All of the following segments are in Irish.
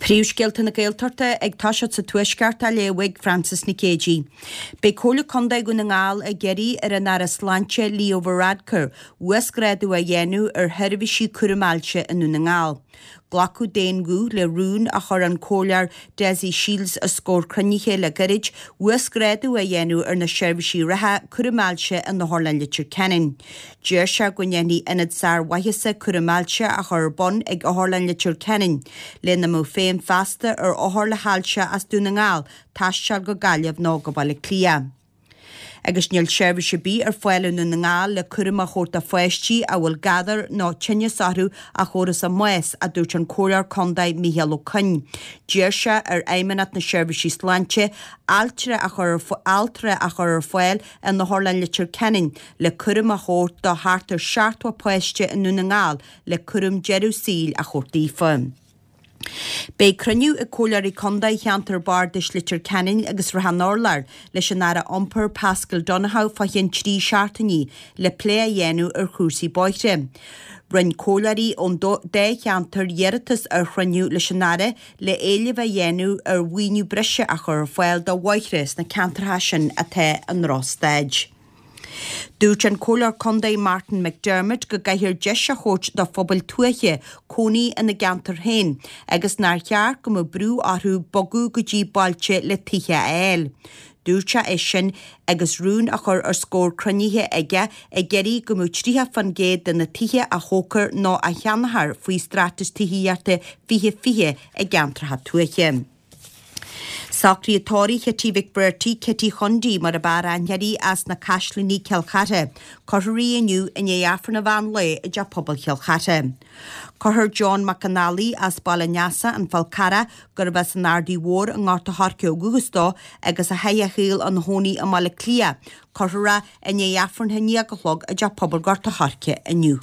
Príomhscéalta na Gaeltachta ag toiseacht sa Tuaisceart á léamh ag Frances Nic Géadaigh. Beidh Comhairle Contae Dhún na nGall ag iarraidh ar an Aire Sláinte Leo Varadkar uasghrádú a dhéanamh ar sheirbhísí cúraim ailse i nDún na nGall. Glacadh d'aon ghuth le rún a chuir an Comhairleoir Dessie Shiels os comhair cruinnithe le gairid, uasghrádú a dhéanamh ar na seirbhísí reatha cúraim ailse in Otharlann Leitir Ceanainn. D'iarr sé go ndéanfaí ionad sármhaitheasa cúraim ailse a chur ar bun ag Otharlann Leitir Ceanainn, lena mbeadh feidhm feasta ar othair le hailse as Dún na nGall taisteal go Gaillimh nó go Baile Átha Cliath. Agus níl seirbhís ar bith ar fáil i nDún na nGall le cúram a thabhairt do pháistí a bhfuil gadhar nó tinneas orthu a thabharfas a mbás, a dúirt an Comhairleoir Contae Micheál Ó Coinn. D'iarr sé ar Fheidhmeannacht na Seirbhísí Sláinte altra a chur altra a chur ar fáil in Otharlann Leitir Ceanainn le cúram a thabhairt do thart ar 70 páiste i nDún na nGall le cúram deireadh saoil a thabhairt daofa. Beidh cruinniú ag Comhairleoirí Contae Cheantar Bardais Leitir Ceanainn agus Shrath an Urláir leis an Aire Iompair Paschal Donohoe fá cheann 3 seachtainí le plé a dhéanamh ar chúrsaí bóithre. Rinne comhairleoirí ón dá cheantar iarratas ar chruinniú leis an Aire le éileamh a dhéanamh ar mhaoiniú breise a chur ar fáil do bhóithre sna ceantracha sin atá i ndrochstaid. Dúirt an Comhairleoir Contae Martin McDermott go gcaithfear deis a thabhairt do phobail tuaithe cónaí ina gceantar féin agus nár cheart go mbeadh brú orthu bogadh go dtí bailte le tithe a fháil. Dúirt sé é sin agus rún á chur os comhair cruinnithe aige ag iarraidh go mbeadh 30% de na tithe a thógfar nó a cheannófar faoi Straitéis Tithíochta 2020 i gceantracha tuaithe. Socruithe tórraimh Chití Mhic Breartaigh, Cití Chondaí mar ab fhearr aithne uirthi, as na Caisleánaigh, Cill Chartha. Cuirfear í inniu i ndiaidh Aifreann an mheán lae i dTeach Pobail Chill Chartha. Cuirfear John Mac an Fhailigh as Baile an Easa, An Fál Carrach, gurbh as an Ardaidh Mhór i nGort a' Choirce ó dhúchas dó agus a chaith a shaol ina chónaí i mBaile Átha Cliath. Cuirfear é i ndiaidh Aifreann a 11 a chlog i dTeach Pobail Ghort a' Choirce inniu.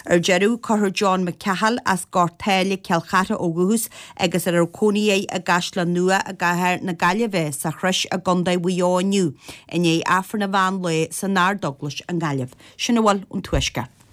Ar deireadh, cuirfear John Mac Cathal as Gort Táile, Cill Chartha ó dhúchas agus a raibh cónaí air i gCaisleán Nua i gcathair na Gaillimhe, sa Chrois i gContae Mhaigh Eo inniu, i ndiaidh Aifreann an mheán lae san Ardeaglais i nGaillimh. Sin a bhfuil ón Tuaisceart.